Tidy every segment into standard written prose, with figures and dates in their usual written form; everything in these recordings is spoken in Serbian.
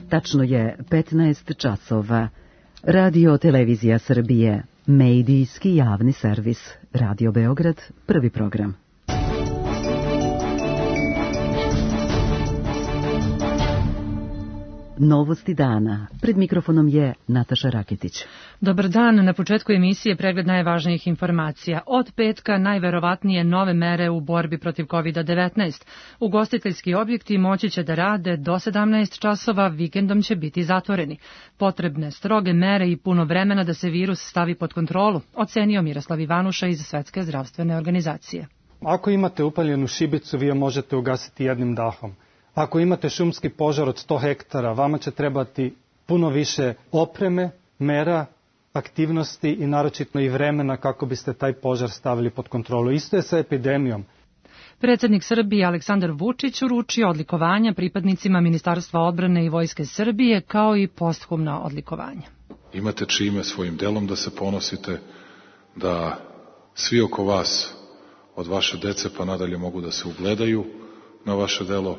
Tačno je 15 časova. Radio Televizija Srbije, medijski javni servis. Radio Beograd, prvi program. Novosti dana. Pred mikrofonom je Nataša Raketić. Dobar dan. Na početku emisije pregled najvažnijih informacija. Od petka najverovatnije nove mere u borbi protiv COVID-19. Ugostiteljski objekti moći će da rade do 17 časova, vikendom će biti zatvoreni. Potrebne stroge mere i puno vremena da se virus stavi pod kontrolu, ocenio Miroslav Ivanuša iz Svetske zdravstvene organizacije. Ako imate upaljenu šibicu, vi je možete ugasiti jednim dahom. Ako imate šumski požar od 100 hektara, vama će trebati puno više opreme, mera, aktivnosti i naročito i vremena kako biste taj požar stavili pod kontrolu. Isto je sa epidemijom. Predsjednik Srbije Aleksandar Vučić uručio odlikovanja pripadnicima Ministarstva odbrane i Vojske Srbije, kao i posthumna odlikovanja. Imate čime svojim delom da se ponosite, da svi oko vas, od vaše dece pa nadalje, mogu da se ugledaju na vaše delo.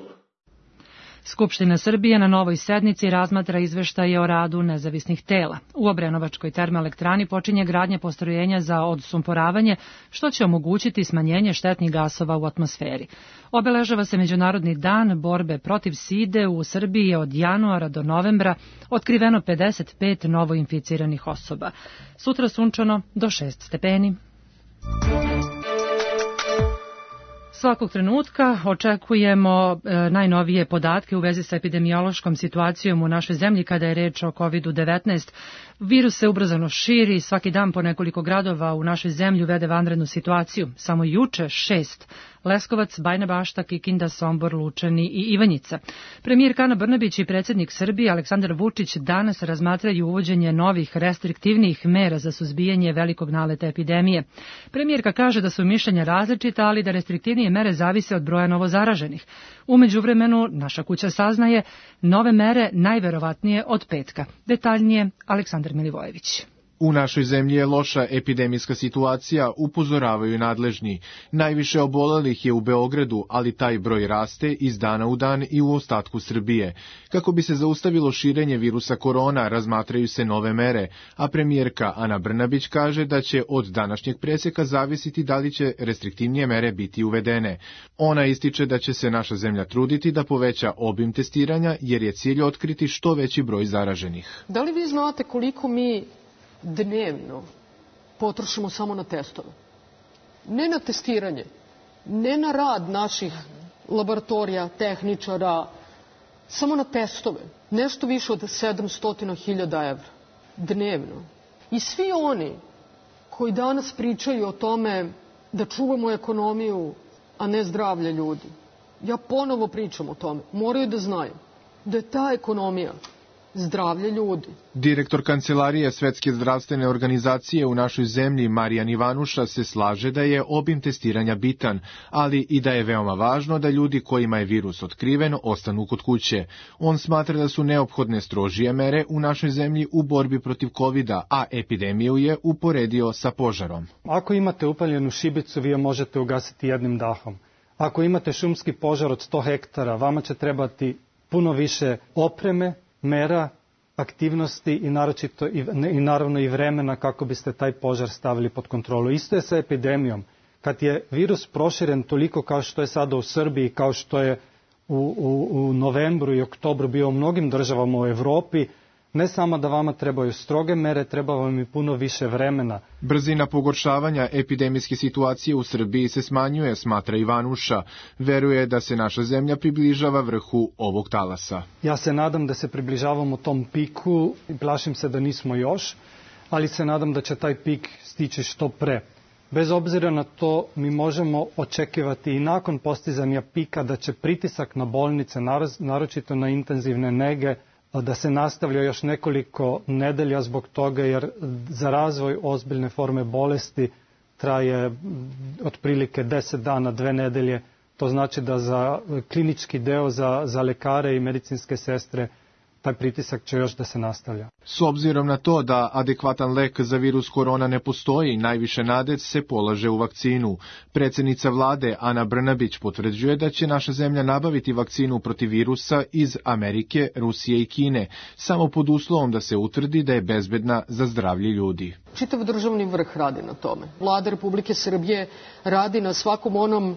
Skupština Srbije na novoj sednici razmatra izveštaje o radu nezavisnih tela. U Obrenovačkoj termoelektrani počinje gradnja postrojenja za odsumporavanje, što će omogućiti smanjenje štetnih gasova u atmosferi. Obeležava se Međunarodni dan borbe protiv side. U Srbiji je od januara do novembra otkriveno 55 novoinficiranih osoba. Sutra sunčano do 6 stepeni. Svakog trenutka očekujemo najnovije podatke u vezi sa epidemiološkom situacijom u našoj zemlji kada je reč o COVID-19. Virus se ubrzano širi, svaki dan po nekoliko gradova u našoj zemlji uvede vanrednu situaciju. Samo juče 6. Leskovac, Bajina Bašta, Kikinda, Sombor, Lučani i Ivanjica. Premijerka Ana Brnabić i predsjednik Srbije Aleksandar Vučić danas razmatraju uvođenje novih restriktivnih mera za suzbijanje velikog naleta epidemije. Premijerka kaže da su mišljenja različita, ali da restriktivnije mere zavise od broja novozaraženih. U međuvremenu naša kuća saznaje nove mere najverovatnije od petka. Detaljnije Aleksandar Milivojević. U našoj zemlji je loša epidemijska situacija, upozoravaju nadležni. Najviše obolelih je u Beogradu, ali taj broj raste iz dana u dan i u ostatku Srbije. Kako bi se zaustavilo širenje virusa korona, razmatraju se nove mere, a premijerka Ana Brnabić kaže da će od današnjeg preseka zavisiti da li će restriktivnije mere biti uvedene. Ona ističe da će se naša zemlja truditi da poveća obim testiranja, jer je cilj otkriti što veći broj zaraženih. Da li vi znate koliko mi dnevno potrošimo samo na testove? Ne na testiranje, ne na rad naših laboratorija, tehničara, samo na testove. Nešto više od 700.000 evra dnevno. I svi oni koji danas pričaju o tome da čuvamo ekonomiju, a ne zdravlje ljudi, ja ponovo pričam o tome, moraju da znaju da je ta ekonomija zdravlje ljudi. Direktor Kancelarije Svetske zdravstvene organizacije u našoj zemlji, Marijan Ivanuša, se slaže da je obim testiranja bitan, ali i da je veoma važno da ljudi kojima je virus otkriven ostanu kod kuće. On smatra da su neophodne strožije mere u našoj zemlji u borbi protiv COVID-a, a epidemiju je uporedio sa požarom. Ako imate upaljenu šibicu, vi je možete ugasiti jednim dahom. Ako imate šumski požar od 100 hektara, vama će trebati puno više opreme, mera, aktivnosti i naročito i naravno i vremena kako biste taj požar stavili pod kontrolu. Isto je sa epidemijom. Kad je virus proširen toliko kao što je sada u Srbiji, kao što je u novembru i oktobru bio u mnogim državama u Evropi, ne samo da vama trebaju stroge mere, treba vam i puno više vremena. Brzina pogoršavanja epidemijske situacije u Srbiji se smanjuje, smatra Ivanuša. Veruje da se naša zemlja približava vrhu ovog talasa. Ja se nadam da se približavamo tom piku i plašim se da nismo još, ali se nadam da će taj pik stići što pre. Bez obzira na to, mi možemo očekivati i nakon postizanja pika da će pritisak na bolnice, naročito na intenzivne nege, da se nastavlja još nekoliko nedelja zbog toga, jer za razvoj ozbiljne forme bolesti traje otprilike 10 dana, 2 nedelje. To znači da za klinički deo, za lekare i medicinske sestre taj pritisak će još da se nastavlja. S obzirom na to da adekvatan lek za virus korona ne postoji, najviše nade se polaže u vakcinu. Predsjednica vlade Ana Brnabić potvrđuje da će naša zemlja nabaviti vakcinu protiv virusa iz Amerike, Rusije i Kine, samo pod uslovom da se utvrdi da je bezbedna za zdravlje ljudi. Čitav državni vrh radi na tome. Vlada Republike Srbije radi na svakom onom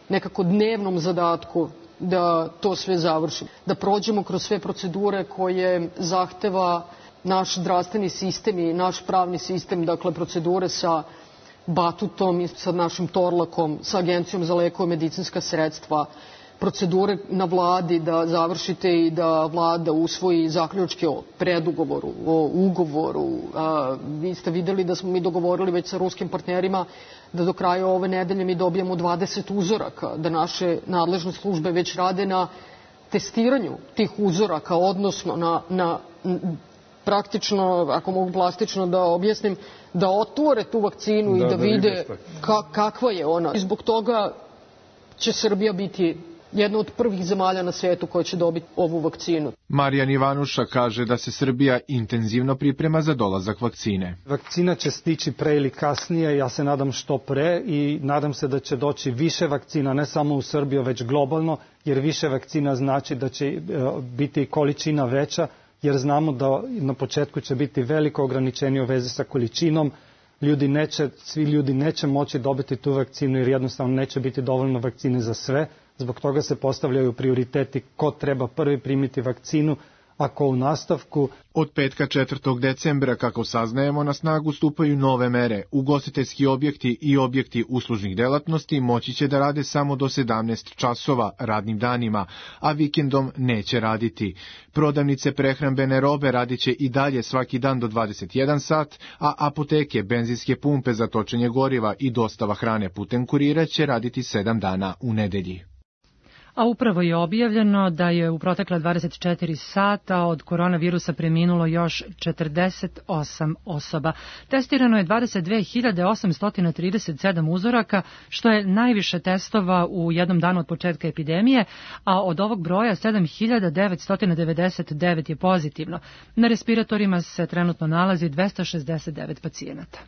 nekako dnevnom zadatku da to sve završimo, da prođemo kroz sve procedure koje zahteva naš zdravstveni sistem i naš pravni sistem, dakle procedure sa Batutom i sa našim Torlakom, sa Agencijom za lekove i medicinska sredstva, procedure na vladi da završite i da vlada usvoji zaključke o predugovoru, o ugovoru. Vi ste videli da smo mi dogovorili već sa ruskim partnerima da do kraja ove nedelje mi dobijemo 20 uzoraka, da naše nadležne službe već rade na testiranju tih uzoraka, odnosno na praktično, ako mogu plastično da objasnim, da otvore tu vakcinu i da vide kakva je ona. I zbog toga će Srbija biti jedna od prvih zemalja na svijetu koja će dobiti ovu vakcinu. Marijan Ivanuša kaže da se Srbija intenzivno priprema za dolazak vakcine. Vakcina će stići pre ili kasnije, ja se nadam što pre i nadam se da će doći više vakcina, ne samo u Srbiju, već globalno, jer više vakcina znači da će biti količina veća, jer znamo da na početku će biti veliko ograničenje u vezi sa količinom. Svi ljudi neće moći dobiti tu vakcinu jer jednostavno neće biti dovoljno vakcine za sve. Zbog toga se postavljaju prioriteti ko treba prvi primiti vakcinu, a ko u nastavku. Od petka 4. decembra, kako saznajemo, na snagu stupaju nove mere. Ugostiteljski objekti i objekti uslužnih delatnosti moći će da rade samo do 17 časova radnim danima, a vikendom neće raditi. Prodavnice prehrambene robe radit će i dalje svaki dan do 21 sat, a apoteke, benzinske pumpe za točenje goriva i dostava hrane putem kurira će raditi 7 dana u nedelji. A upravo je objavljeno da je u protekla 24 sata od koronavirusa preminulo još 48 osoba. Testirano je 22.837 uzoraka, što je najviše testova u jednom danu od početka epidemije, a od ovog broja 7.999 je pozitivno. Na respiratorima se trenutno nalazi 269 pacijenata.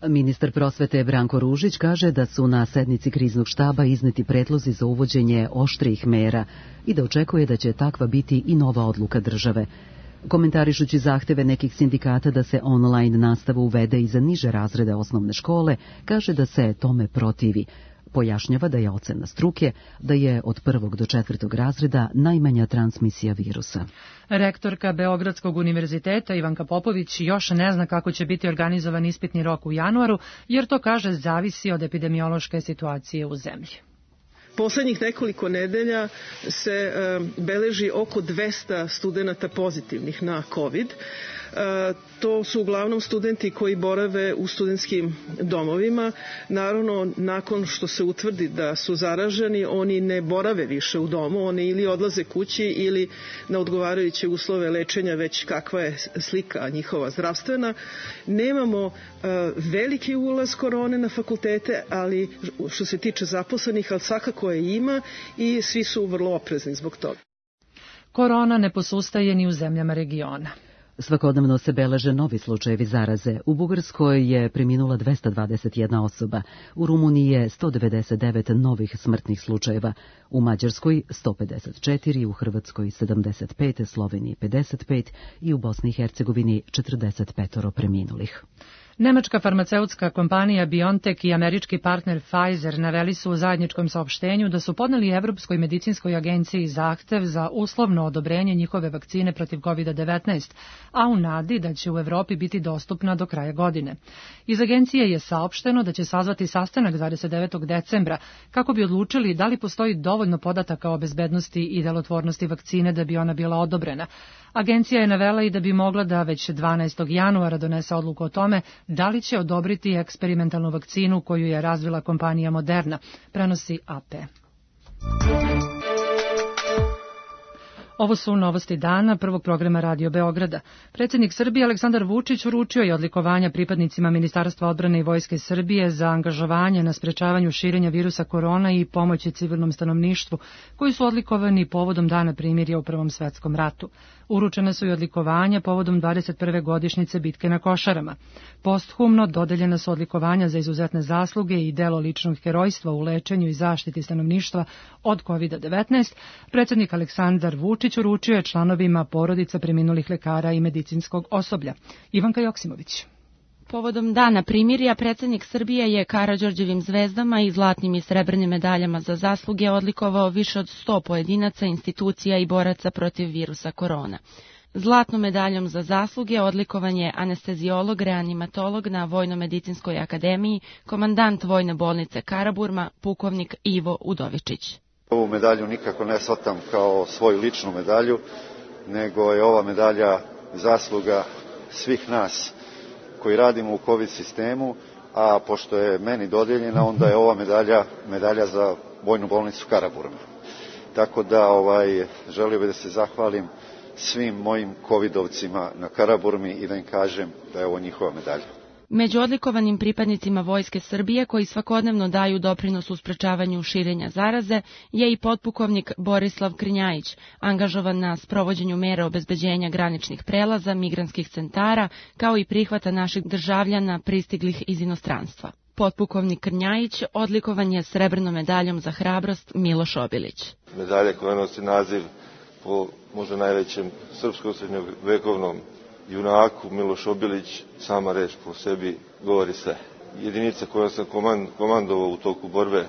Ministar prosvete Branko Ružić kaže da su na sednici kriznog štaba izneti predlozi za uvođenje oštrijih mera i da očekuje da će takva biti i nova odluka države. Komentarišući zahteve nekih sindikata da se online nastava uvede i za niže razrede osnovne škole, kaže da se tome protivi. Pojašnjava da je ocena struke da je od 1. do 4. razreda najmanja transmisija virusa. Rektorka Beogradskog univerziteta Ivanka Popović još ne zna kako će biti organizovan ispitni rok u januaru, jer to, kaže, zavisi od epidemiološke situacije u zemlji. Poslednjih nekoliko nedelja se beleži oko 200 studenata pozitivnih na COVID. To su uglavnom studenti koji borave u studentskim domovima. Naravno, nakon što se utvrdi da su zaraženi, oni ne borave više u domu, oni ili odlaze kući ili na odgovarajuće uslove lečenja, već kakva je slika njihova zdravstvena. Nemamo veliki ulaz korone na fakultete, ali što se tiče zaposlenih, ali svakako je ima i svi su vrlo oprezni zbog toga. Korona ne posustaje ni u zemljama regiona. Svakodnevno se beleže novi slučajevi zaraze. U Bugarskoj je preminula 221 osoba, u Rumuniji je 199 novih smrtnih slučajeva, u Mađarskoj 154, u Hrvatskoj 75, Sloveniji 55 i u Bosni i Hercegovini 45 preminulih. Nemačka farmaceutska kompanija BioNTech i američki partner Pfizer naveli su u zajedničkom saopštenju da su podneli Evropskoj medicinskoj agenciji zahtev za uslovno odobrenje njihove vakcine protiv COVID-19, a u nadi da će u Evropi biti dostupna do kraja godine. Iz agencije je saopšteno da će sazvati sastanak 29. decembra kako bi odlučili da li postoji dovoljno podataka o bezbednosti i delotvornosti vakcine da bi ona bila odobrena. Agencija je navela i da bi mogla da već 12. januara donese odluku o tome da li će odobriti eksperimentalnu vakcinu koju je razvila kompanija Moderna, prenosi AP. Ovo su novosti dana prvog programa Radio Beograda. Predsjednik Srbije Aleksandar Vučić uručio je odlikovanja pripadnicima Ministarstva odbrane i Vojske Srbije za angažovanje na sprečavanju širenja virusa korona i pomoći civilnom stanovništvu, koji su odlikovani povodom Dana primirja u Prvom svetskom ratu. Uručena su i odlikovanja povodom 21. godišnjice bitke na Košarama. Posthumno dodeljena su odlikovanja za izuzetne zasluge i delo ličnog herojstva u lečenju i zaštiti stanovništva od COVID-19. Predsjednik Aleksandar Vučić uručio je članovima porodica preminulih lekara i medicinskog osoblja. Ivanka Joksimović. Povodom Dana primirja, predsjednik Srbije je Karađorđevim zvezdama i zlatnim i srebrnim medaljama za zasluge odlikovao više od 100 pojedinaca, institucija i boraca protiv virusa korona. Zlatnom medaljom za zasluge odlikovan je anesteziolog, reanimatolog na Vojno-medicinskoj akademiji, komandant Vojne bolnice Karaburma, pukovnik Ivo Udovičić. Ovu medalju nikako ne shvatam kao svoju ličnu medalju, nego je ova medalja zasluga svih nas koji radimo u COVID sistemu, a pošto je meni dodijeljena, onda je ova medalja za Vojnu bolnicu Karaburma. Tako da želio bih da se zahvalim svim mojim covidovcima na Karaburmi i da im kažem da je ovo njihova medalja. Među odlikovanim pripadnicima Vojske Srbije koji svakodnevno daju doprinos u sprečavanju širenja zaraze je i potpukovnik Borislav Krnjajić, angažovan na sprovođenju mera obezbeđenja graničnih prelaza, migrantskih centara, kao i prihvata naših državljana pristiglih iz inostranstva. Potpukovnik Krnjajić odlikovan je srebrnom medaljom za hrabrost Miloš Obilić. Medalja koja nosi naziv po možda najvećem srpskom srednjovekovnom junaku Miloš Obilić, sama reč po sebi govori sve. Jedinica koja sam komandovao u toku borbe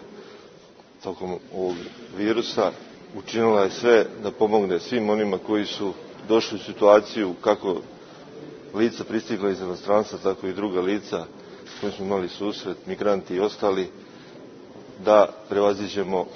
tokom ovog virusa učinila je sve da pomogne svim onima koji su došli u situaciju kako lica pristigla iz inostranstva, tako i druga lica s kojim smo imali susret, migranti i ostali, da prevaziđemo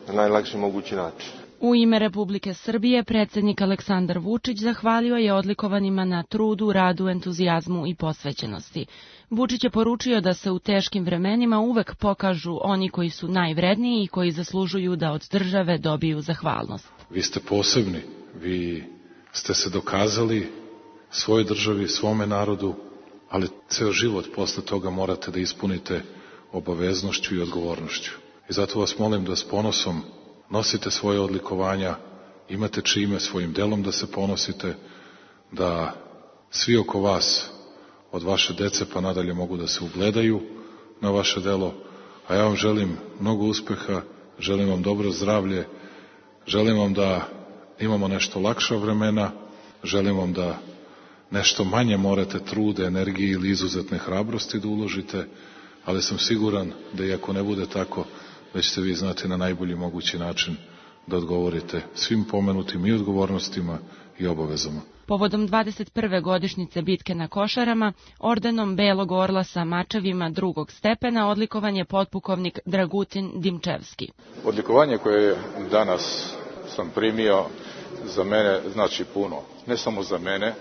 na najlakši mogući način. U ime Republike Srbije predsjednik Aleksandar Vučić zahvalio je odlikovanima na trudu, radu, entuzijazmu i posvećenosti. Vučić je poručio da se u teškim vremenima uvek pokažu oni koji su najvredniji i koji zaslužuju da od države dobiju zahvalnost. Vi ste posebni, vi ste se dokazali svojoj državi, svome narodu, ali ceo život posle toga morate da ispunite obaveznošću i odgovornošću. I zato vas molim da s ponosom nosite svoje odlikovanja, imate čime svojim delom da se ponosite, da svi oko vas, od vaše dece pa nadalje, mogu da se ugledaju na vaše delo, a ja vam želim mnogo uspeha, želim vam dobro zdravlje, želim vam da imamo nešto lakša vremena, želim vam da nešto manje morate trude, energije ili izuzetne hrabrosti da uložite, ali sam siguran da i ako ne bude tako, da ćete vi znati na najbolji mogući način da odgovorite svim pomenutim i odgovornostima i obavezama. Povodom 21. godišnjice bitke na Košarama, ordenom Belog orla sa mačevima drugog stepena odlikovan je potpukovnik Dragutin Dimčevski. Odlikovanje koje danas sam primio za mene znači puno. Ne samo za mene,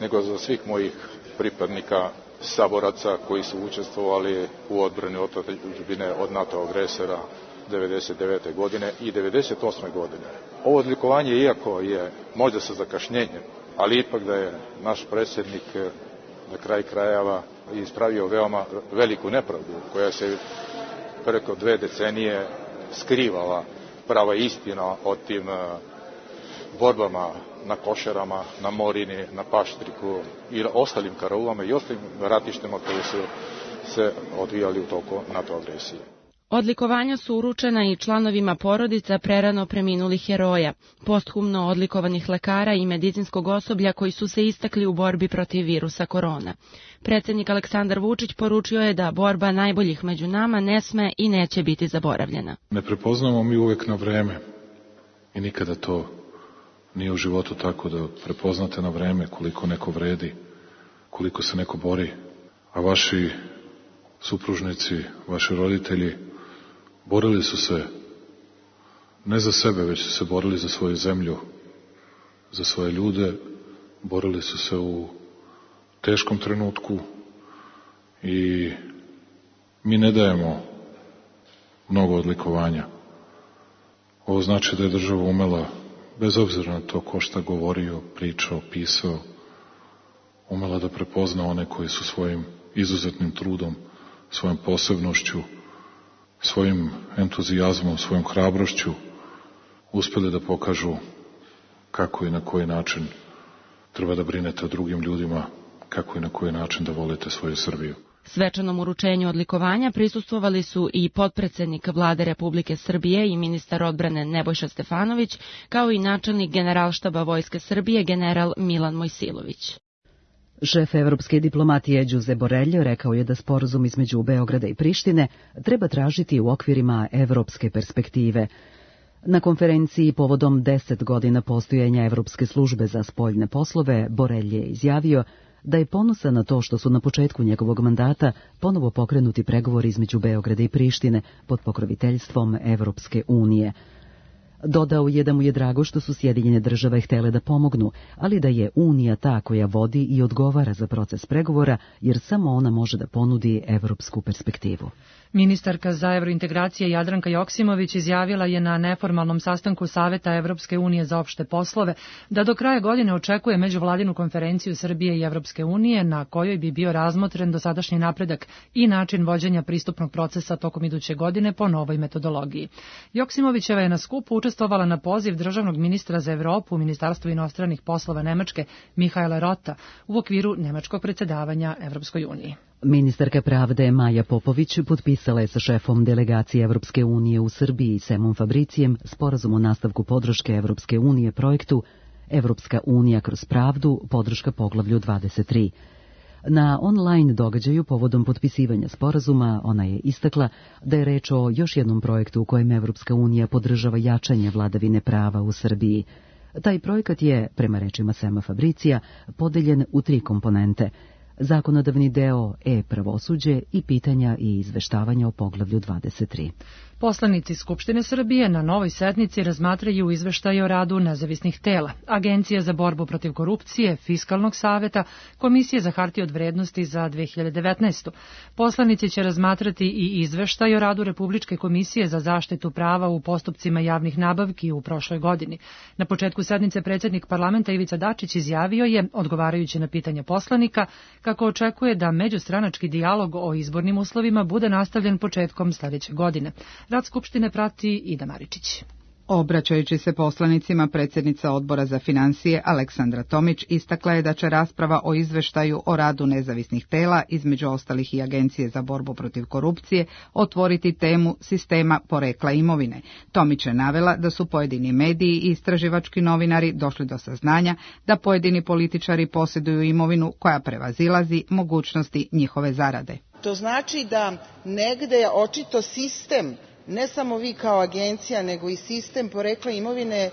nego za svih mojih pripadnika, saboraca koji su učestvovali u odbrani otadžbine od NATO agresora 1999. godine i 1998. godine. Ovo odlikovanje, iako je možda sa zakašnjenjem, ali ipak da je naš predsjednik na kraj krajeva ispravio veoma veliku nepravdu koja se preko 2 decenije skrivala prava istina o tim borbama na Košarama, na Morini, na Paštriku i ostalim karaulama i ostalim ratištima koji su se odvijali u toku NATO agresije. Odlikovanja su uručena i članovima porodica prerano preminulih heroja, posthumno odlikovanih lekara i medicinskog osoblja koji su se istakli u borbi protiv virusa korona. Predsjednik Aleksandar Vučić poručio je da borba najboljih među nama ne sme i neće biti zaboravljena. Ne prepoznamo mi uvek na vreme i nikada to nije u životu tako da prepoznate na vreme koliko neko vredi, koliko se neko bori, a vaši supružnici, vaši roditelji borili su se ne za sebe, već su se borili za svoju zemlju, za svoje ljude, borili su se u teškom trenutku i mi ne dajemo mnogo odlikovanja. Ovo znači da je država umela bez obzira na to ko šta govorio, pričao, pisao, umela da prepozna one koji su svojim izuzetnim trudom, svojom posebnošću, svojim entuzijazmom, svojom hrabrošću uspeli da pokažu kako i na koji način treba da brinete o drugim ljudima, kako i na koji način da volite svoju Srbiju. Svečanom uručenju odlikovanja prisustvovali su i potpredsednik Vlade Republike Srbije i ministar odbrane Nebojša Stefanović, kao i načelnik Generalštaba Vojske Srbije general Milan Mojsilović. Šef evropske diplomatije Đuze Borelj rekao je da sporazum između Beograda i Prištine treba tražiti u okvirima evropske perspektive. Na konferenciji povodom 10 godina postojanja Evropske službe za spoljne poslove, Borelj je izjavio da je ponosan na to što su na početku njegovog mandata ponovo pokrenuti pregovori između Beograda i Prištine pod pokroviteljstvom Evropske unije. Dodao je da mu je drago što su Sjedinjene Države htele da pomognu, ali da je Unija ta koja vodi i odgovara za proces pregovora, jer samo ona može da ponudi evropsku perspektivu. Ministarka za evrointegracije Jadranka Joksimović izjavila je na neformalnom sastanku Saveta Evropske unije za opšte poslove da do kraja godine očekuje međuvladinu konferenciju Srbije i Evropske unije na kojoj bi bio razmotren dosadašnji napredak i način vođenja pristupnog procesa tokom iduće godine po novoj metodologiji. Joksimovićeva je na skupu učestvovala na poziv državnog ministra za Evropu u Ministarstvu inostranih poslova Nemačke Mihaela Rota u okviru nemačkog predsjedavanja Evropskoj uniji. Ministarka pravde Maja Popović potpisala je sa šefom delegacije Evropske unije u Srbiji Semom Fabricijem sporazum o nastavku podrške Evropske unije projektu Evropska unija kroz pravdu, podrška poglavlju 23. Na online događaju povodom potpisivanja sporazuma ona je istakla da je reč o još jednom projektu u kojem Evropska unija podržava jačanje vladavine prava u Srbiji. Taj projekat je, prema rečima Sema Fabricija, podeljen u 3 komponente: zakonodavni deo, e-pravosuđe i pitanja i izveštavanja o poglavlju 23. Poslanici Skupštine Srbije na novoj sednici razmatraju izveštaj o radu nezavisnih tela, Agencije za borbu protiv korupcije, Fiskalnog saveta, Komisije za hartije od vrednosti za 2019. Poslanici će razmatrati i izveštaj o radu Republičke komisije za zaštitu prava u postupcima javnih nabavki u prošloj godini. Na početku sednice predsjednik parlamenta Ivica Dačić izjavio je, odgovarajući na pitanja poslanika, kako očekuje da međustranački dijalog o izbornim uslovima bude nastavljen početkom sljedeće godine. Rad Skupštine prati Ida Maričić. Obraćajući se poslanicima, predsjednica Odbora za finansije Aleksandra Tomić istakla je da će rasprava o izveštaju o radu nezavisnih tela, između ostalih i Agencije za borbu protiv korupcije, otvoriti temu sistema porekla imovine. Tomić je navela da su pojedini mediji i istraživački novinari došli do saznanja da pojedini političari posjeduju imovinu koja prevazilazi mogućnosti njihove zarade. To znači da negde očito sistem, ne samo vi kao agencija, nego i sistem porekla imovine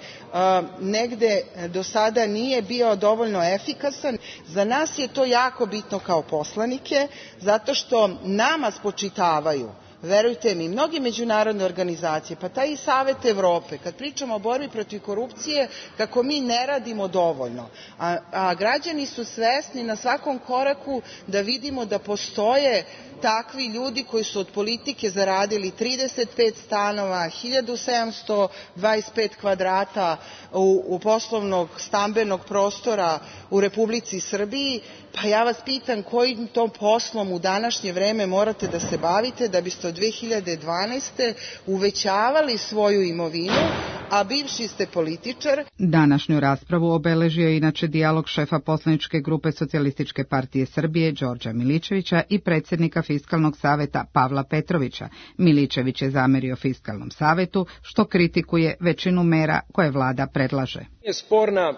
negde do sada nije bio dovoljno efikasan. Za nas je to jako bitno kao poslanike, zato što nama spočitavaju, verujte mi, mnoge međunarodne organizacije, pa taj i Savet Evrope, kad pričamo o borbi protiv korupcije, kako mi ne radimo dovoljno. A građani su svesni na svakom koraku da vidimo da postoje takvi ljudi koji su od politike zaradili 35 stanova, 1725 kvadrata u poslovnog stambenog prostora u Republici Srbiji. Pa ja vas pitam kojim tom poslom u današnje vreme morate da se bavite da biste od 2012. uvećavali svoju imovinu, a bivši ste političar. Današnju raspravu obeležio je inače dijalog šefa poslaničke grupe Socijalističke partije Srbije Đorđa Miličevića i predsjednika Fiskalnog saveta Pavla Petrovića. Miličević je zamerio Fiskalnom savetu što kritikuje većinu mera koje vlada predlaže. Je sporna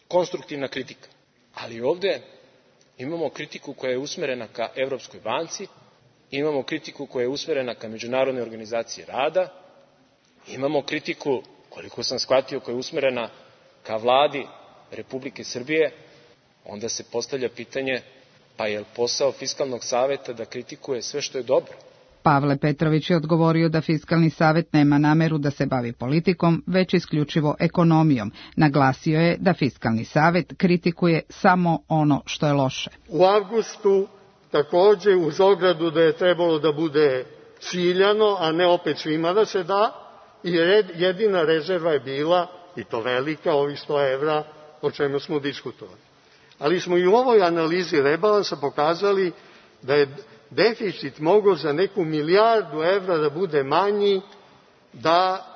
konstruktivna kritika, ali ovde imamo kritiku koja je usmerena ka Evropskoj banci, imamo kritiku koja je usmerena ka Međunarodnoj organizaciji rada, imamo kritiku, koliko sam shvatio, koja je usmerena ka vladi Republike Srbije. Onda se postavlja pitanje, pa je li posao Fiskalnog saveta da kritikuje sve što je dobro? Pavle Petrović je odgovorio da Fiskalni savet nema nameru da se bavi politikom, već isključivo ekonomijom. Naglasio je da Fiskalni savet kritikuje samo ono što je loše. U avgustu takođe uz ogradu da je trebalo da bude ciljano, a ne opet svima da se da, i jedina rezerva je bila i to velika, ovih 100 evra o čemu smo diskutovali. Ali smo i u ovoj analizi rebalansa pokazali da je deficit mogao za neku milijardu evra da bude manji, da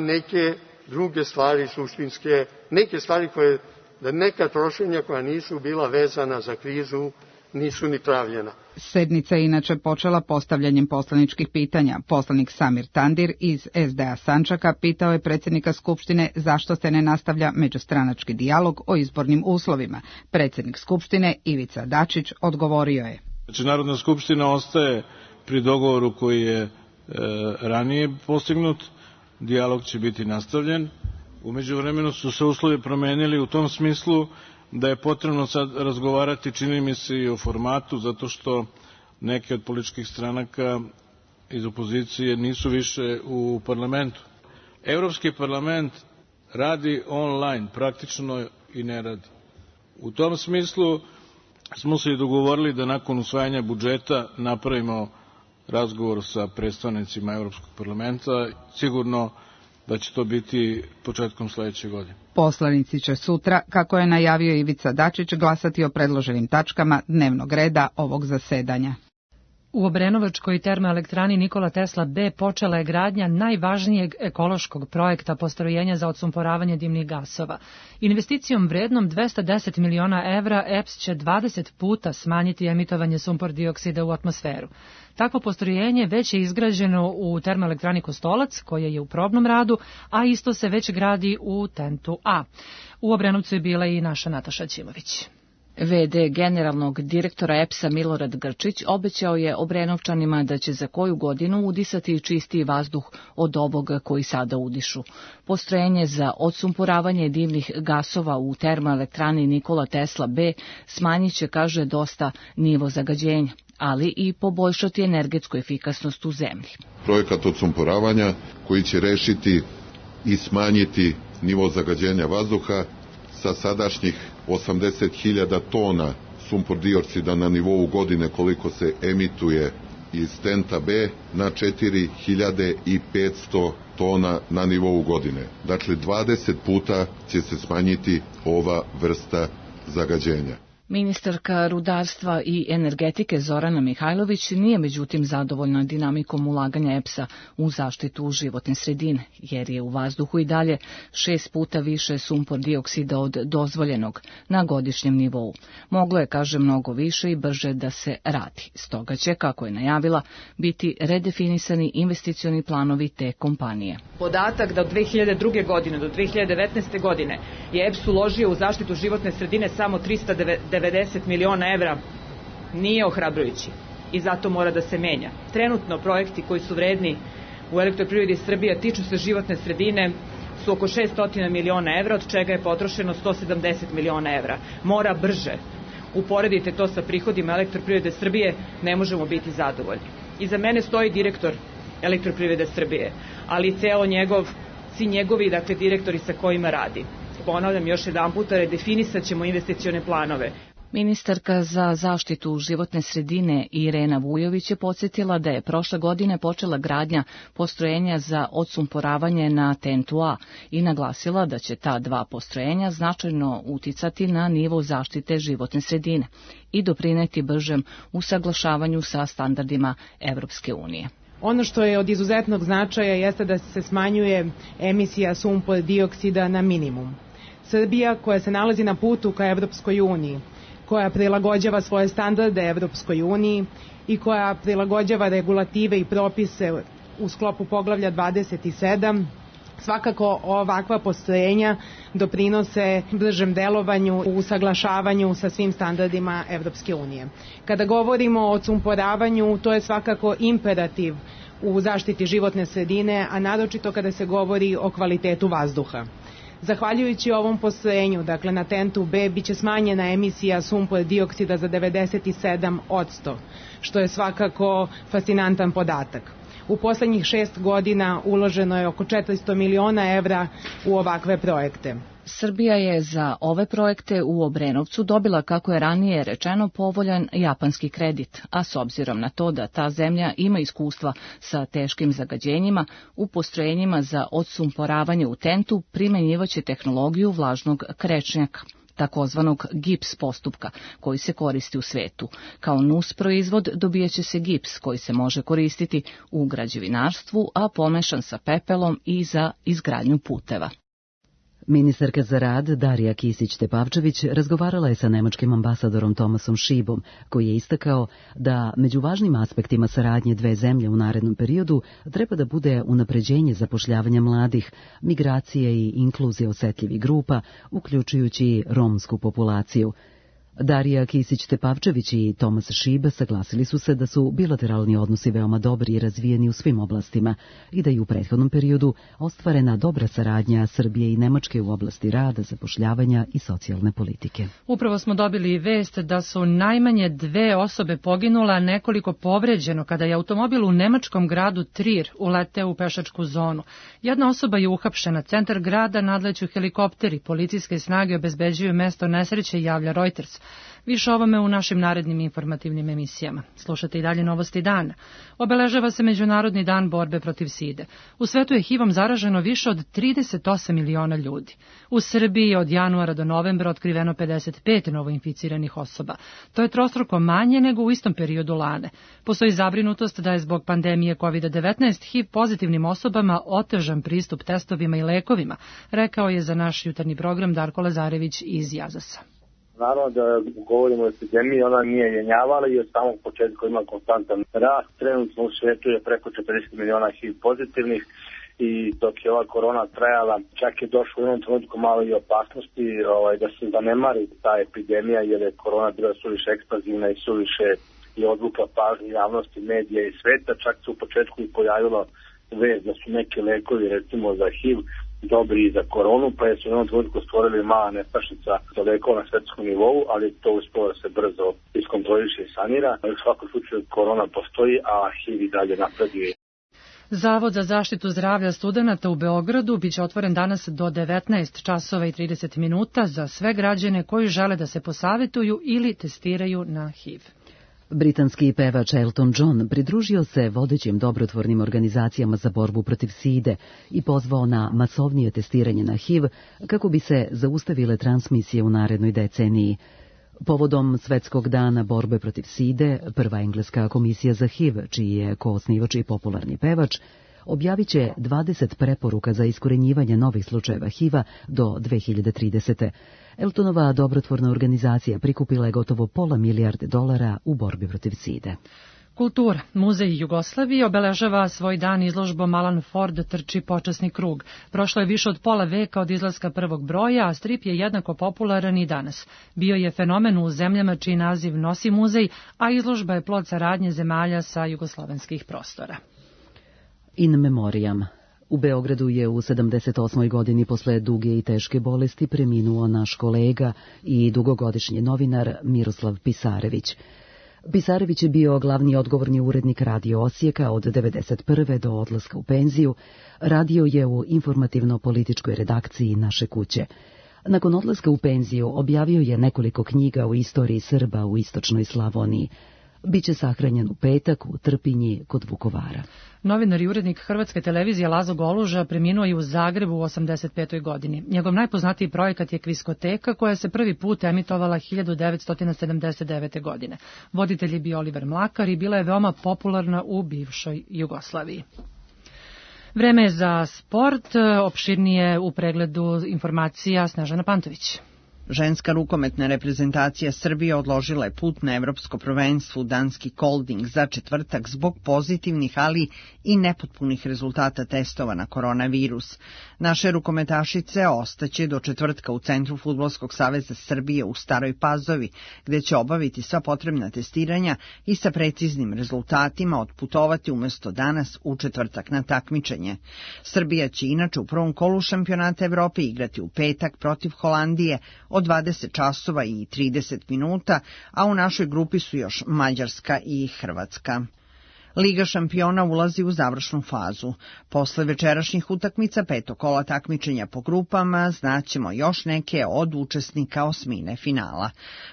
neke druge stvari suštinske, neke stvari koje, da neka trošenja koja nisu bila vezana za krizu nisu ni pravljena. Sednica je inače počela postavljanjem poslaničkih pitanja. Poslanik Samir Tandir iz SDA Sandžaka pitao je predsjednika Skupštine zašto se ne nastavlja međustranački dijalog o izbornim uslovima. Predsjednik Skupštine Ivica Dačić odgovorio je. Znači, Narodna skupština ostaje pri dogovoru koji je ranije postignut, dijalog će biti nastavljen. U međuvremenu su se uslovi promenili u tom smislu da je potrebno sad razgovarati, čini mi se, i o formatu, zato što neke od političkih stranaka iz opozicije nisu više u parlamentu. Evropski parlament radi online, praktično i ne radi. U tom smislu smo se i dogovorili da nakon usvajanja budžeta napravimo razgovor sa predstavnicima Evropskog parlamenta. Sigurno da će to biti početkom sledeće godine. Poslanici će sutra, kako je najavio Ivica Dačić, glasati o predloženim tačkama dnevnog reda ovog zasedanja. U Obrenovačkoj termoelektrani Nikola Tesla B počela je gradnja najvažnijeg ekološkog projekta postrojenja za odsumporavanje dimnih gasova. Investicijom vrednom 210 miliona evra EPS će 20 puta smanjiti emitovanje sumpor dioksida u atmosferu. Takvo postrojenje već je izgrađeno u termoelektrani Kostolac, koja je u probnom radu, a isto se već gradi u Tentu A. U Obrenovcu je bila i naša Nataša Ćimović. VD generalnog direktora EPS-a Milorad Grčić obećao je Obrenovčanima da će za koju godinu udisati čistiji vazduh od ovog koji sada udišu. Postrojenje za odsumporavanje dimnih gasova u termoelektrani Nikola Tesla B smanjit će, kaže, dosta nivo zagađenja, ali i poboljšati energetsku efikasnost u zemlji. Projekat odsumporavanja koji će rešiti i smanjiti nivo zagađenja vazduha sa sadašnjih 80.000 tona sumpor dioksida na nivou godine koliko se emituje iz Tenta B na 4.500 tona na nivou godine. Dakle, 20 puta će se smanjiti ova vrsta zagađenja. Ministarka rudarstva i energetike Zorana Mihajlović nije međutim zadovoljna dinamikom ulaganja EPS-a u zaštitu životne sredine, jer je u vazduhu i dalje 6 puta više sumpor dioksida od dozvoljenog na godišnjem nivou. Moglo je, kaže, mnogo više i brže da se radi. Stoga će, kako je najavila, biti redefinisani investicioni planovi te kompanije. Podatak da od 2002. godine do 2019. godine je EPS uložio u zaštitu životne sredine samo 390 miliona evra nije ohrabrujući i zato mora da se menja. Trenutno projekti koji su vredni u Elektroprivredi Srbije tiču se životne sredine su oko 600 miliona evra, od čega je potrošeno 170 miliona evra. Mora brže. Uporedite to sa prihodima Elektroprivrede Srbije, ne možemo biti zadovoljni. Iza mene stoji direktor Elektroprivrede Srbije, ali i ceo svi njegovi, dakle, direktori sa kojima radi. Ponavljam još jedan puta, redefinisat ćemo investicione planove. Ministarka za zaštitu životne sredine Irena Vujović je podsjetila da je prošle godine počela gradnja postrojenja za odsumporavanje na Tentu A i naglasila da će ta dva postrojenja značajno uticati na nivo zaštite životne sredine i doprineti bržem usaglašavanju sa standardima Evropske unije. Ono što je od izuzetnog značaja jeste da se smanjuje emisija sumpor dioksida na minimum. Srbija, koja se nalazi na putu ka Evropskoj uniji, koja prilagođava svoje standarde Evropskoj uniji i koja prilagođava regulative i propise u sklopu poglavlja 27, svakako ovakva postrojenja doprinose bržem delovanju u usaglašavanju sa svim standardima Evropske unije. Kada govorimo o odsumporavanju, to je svakako imperativ u zaštiti životne sredine, a naročito kada se govori o kvalitetu vazduha. Zahvaljujući ovom postrojenju, dakle na Tentu B, biće smanjena emisija sumpor dioksida za 97%, što je svakako fascinantan podatak. U poslednjih 6 godina uloženo je oko 400 miliona evra u ovakve projekte. Srbija je za ove projekte u Obrenovcu dobila, kako je ranije rečeno, povoljan japanski kredit, a s obzirom na to da ta zemlja ima iskustva sa teškim zagađenjima, u postrojenjima za odsumporavanje u TENT-u primenjivaće tehnologiju vlažnog krečnjaka, takozvanog gips postupka, koji se koristi u svetu. Kao nus proizvod dobijaće se gips koji se može koristiti u građevinarstvu, a pomešan sa pepelom i za izgradnju puteva. Ministarka za rad Darija Kisić-Tepavčević razgovarala je sa nemačkim ambasadorom Tomasom Šibom, koji je istakao da među važnim aspektima saradnje dve zemlje u narednom periodu treba da bude unapređenje zapošljavanja mladih, migracije i inkluzije osetljivih grupa, uključujući romsku populaciju. Darija Kisić-Tepavčević i Tomas Šib saglasili su se da su bilateralni odnosi veoma dobri i razvijeni u svim oblastima i da je u prethodnom periodu ostvarena dobra saradnja Srbije i Nemačke u oblasti rada, zapošljavanja i socijalne politike. Upravo smo dobili vest da su najmanje 2 osobe poginula, a nekoliko povređeno kada je automobil u nemačkom gradu Trier uleteo u pešačku zonu. Jedna osoba je uhapšena, centar grada nadleću helikopteri, policijske snage obezbeđuju mesto nesreće, javlja Reuters. Više ovome u našim narednim informativnim emisijama. Slušate i dalje Novosti dana. Obeležava se Međunarodni dan borbe protiv side. U svetu je HIV-om zaraženo više od 38 miliona ljudi. U Srbiji od januara do novembra otkriveno 55 novoinficiranih osoba. To je trostruko manje nego u istom periodu lane. Postoji zabrinutost da je zbog pandemije COVID-19 HIV pozitivnim osobama otežan pristup testovima i lekovima, rekao je za naš jutarnji program Darko Lazarević iz Jazasa. Naravno da govorimo o epidemiji, ona nije jenjavala i od samog početka ima konstantan rast. Trenutno u svetu je preko 40 miliona HIV pozitivnih i dok je ova korona trajala, čak je došlo u jednom trenutku malo i opasnosti da se zanemari ta epidemija, jer je korona bila suviše ekspanzivna i suviše i odvukla pažnju javnosti, medija i sveta. Čak se u početku i pojavilo vest da su neki lekovi, recimo za HIV, dobri i za koronu, pa je su u jednom trenutku stvorili mala nestašica za lekova na svetskom nivou, ali to uspelo da se brzo iskontroliše i sanira. U svakom slučaju korona postoji, a HIV i dalje napreduje. Zavod za zaštitu zdravlja studenata u Beogradu biće otvoren danas do 19 časova i 30 minuta za sve građane koji žele da se posavetuju ili testiraju na HIV. Britanski pevač Elton John pridružio se vodećim dobrotvornim organizacijama za borbu protiv side i pozvao na masovnije testiranje na HIV kako bi se zaustavile transmisije u narednoj deceniji. Povodom Svetskog dana borbe protiv side, prva engleska komisija za HIV, čiji je koosnivač i popularni pevač, objavit će 20 preporuka za iskorenjivanje novih slučajeva HIV-a do 2030. Eltonova dobrotvorna organizacija prikupila je gotovo $500 milijarde u borbi protiv side. Kultura. Muzej Jugoslavije obeležava svoj dan izložbom Alan Ford trči počasni krug. Prošlo je više od pola veka od izlaska prvog broja, a strip je jednako popularan i danas. Bio je fenomen u zemljama čiji naziv nosi muzej, a izložba je plod saradnje zemalja sa jugoslovenskih prostora. In memoriam. U Beogradu je u 78. godini posle duge i teške bolesti preminuo naš kolega i dugogodišnji novinar Miroslav Pisarević. Pisarević je bio glavni odgovorni urednik Radio Osijeka od 1991. do odlaska u penziju. Radio je u informativno-političkoj redakciji Naše kuće. Nakon odlaska u penziju objavio je nekoliko knjiga o istoriji Srba u istočnoj Slavoniji. Biće sahranjen u petak u Trpinji kod Vukovara. Novinar i urednik Hrvatske televizije Lazo Goluža preminuo je u Zagrebu u 85. godini. Njegov najpoznatiji projekat je Kviskoteka, koja se prvi put emitovala 1979. godine. Voditelj je bio Oliver Mlakar i bila je veoma popularna u bivšoj Jugoslaviji. Vreme je za sport, opširnije u pregledu informacija Snežana Pantović. Ženska rukometna reprezentacija Srbije odložila je put na evropsko prvenstvo u Danski Kolding za četvrtak zbog pozitivnih, ali i nepotpunih rezultata testova na koronavirus. Naše rukometašice ostaće do četvrtka u Centru Fudbalskog saveza Srbije u Staroj Pazovi, gde će obaviti sva potrebna testiranja i sa preciznim rezultatima otputovati umesto danas u četvrtak na takmičenje. Srbija će inače u prvom kolu šampionata Evrope igrati u petak protiv Holandije od 20 časova i 30 minuta, a u našoj grupi su još Mađarska i Hrvatska. Liga šampiona ulazi u završnu fazu. Posle večerašnjih utakmica 5. kola takmičenja po grupama znaćemo još neke od učesnika osmine finala.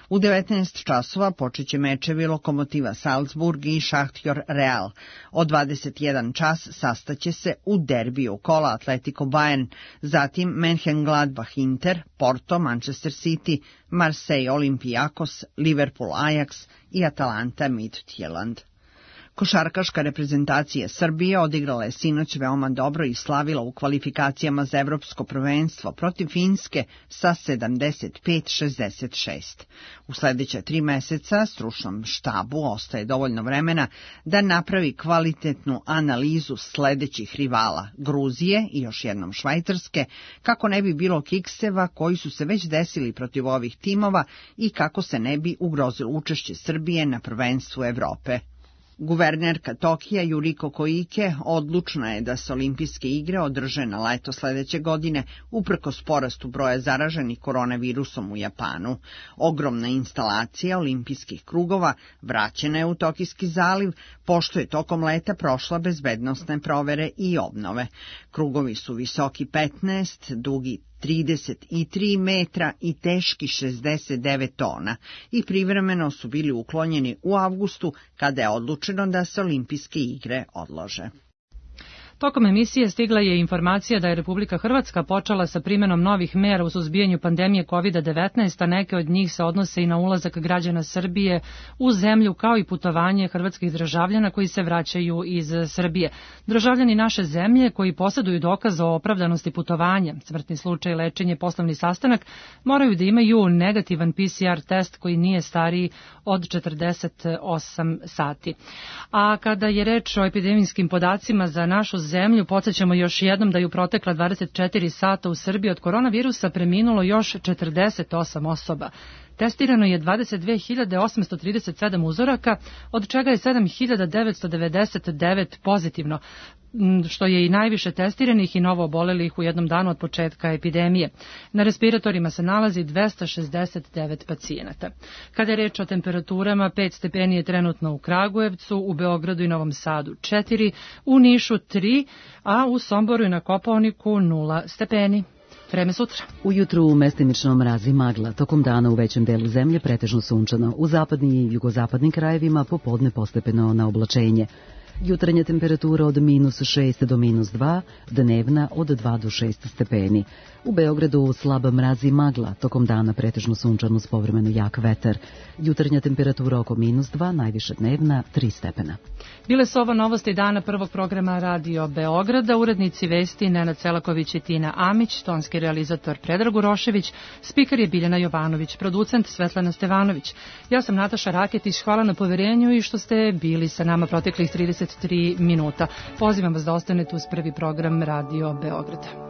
U 19 časova počeće mečevi Lokomotiva Salzburg i Šahtjor Real. Od 21 čas sastaće se u derbiju kola Atletico Bayern, zatim Mönchengladbach Inter, Porto, Manchester City, Marseille Olympiakos, Liverpool Ajax i Atalanta Midtjylland. Košarkaška reprezentacija Srbije odigrala je sinoć veoma dobro i slavila u kvalifikacijama za evropsko prvenstvo protiv Finske sa 75-66. U sledeća 3 meseca stručnom štabu ostaje dovoljno vremena da napravi kvalitetnu analizu sledećih rivala Gruzije i još jednom Švajcarske, kako ne bi bilo kikseva koji su se već desili protiv ovih timova i kako se ne bi ugrozilo učešće Srbije na prvenstvu Evrope. Guvernerka Tokija Yuriko Koike odlučna je da se olimpijske igre održe na leto sledeće godine uprkos porastu broja zaraženih koronavirusom u Japanu. Ogromna instalacija olimpijskih krugova vraćena je u Tokijski zaliv, pošto je tokom leta prošla bezbednosne provere i obnove. Krugovi su visoki 15, dugi 33 metra i teški 69 tona i privremeno su bili uklonjeni u avgustu kada je odlučeno da se olimpijske igre odlože. Tokom emisije stigla je informacija da je Republika Hrvatska počela sa primenom novih mera u suzbijanju pandemije COVID-19, a neke od njih se odnose i na ulazak građana Srbije u zemlju, kao i putovanje hrvatskih državljana koji se vraćaju iz Srbije. Državljani naše zemlje koji posjeduju dokaz o opravdanosti putovanja, smrtni slučaj, lečenje, poslovni sastanak, moraju da imaju negativan PCR test koji nije stariji od 48 sati. A kada je reč o epidemijskim podacima za našu zemlju, podsjećamo još jednom da je u protekla 24 sata u Srbiji od koronavirusa preminulo još 48 osoba. Testirano je 22.837 uzoraka, od čega je 7.999 pozitivno, što je i najviše testiranih i novo obolelih u jednom danu od početka epidemije. Na respiratorima se nalazi 269 pacijenata. Kada je reč o temperaturama, 5 stepeni je trenutno u Kragujevcu, u Beogradu i Novom Sadu 4, u Nišu 3, a u Somboru i na Kopaoniku 0 stepeni. Vreme sutra. Ujutru mestimično mrazi magla, tokom dana u većem delu zemlje pretežno sunčano, u zapadnim i jugozapadnim krajevima popodne postepeno na oblačenje. Jutarnja temperatura od -6 do -2, dnevna od 2 do 6 stepeni. U Beogradu slab mraz i magla, tokom dana pretežno sunčano uz povremeno jak vetar. Jutarnja temperatura oko -2, najviše dnevna 3 stepena. Bile su ovo novosti dana prvog programa Radio Beograda, urednici vesti Nenad Selaković i Tina Amić, tonski realizator Predrag Urošević, spiker je Biljana Jovanović, producent Svetlana Stevanović. Ja sam Nataša Raketić, hvala na poverenju i što ste bili sa nama proteklih 33 minuta. Pozivam vas da ostanete uz prvi program Radio Beograda.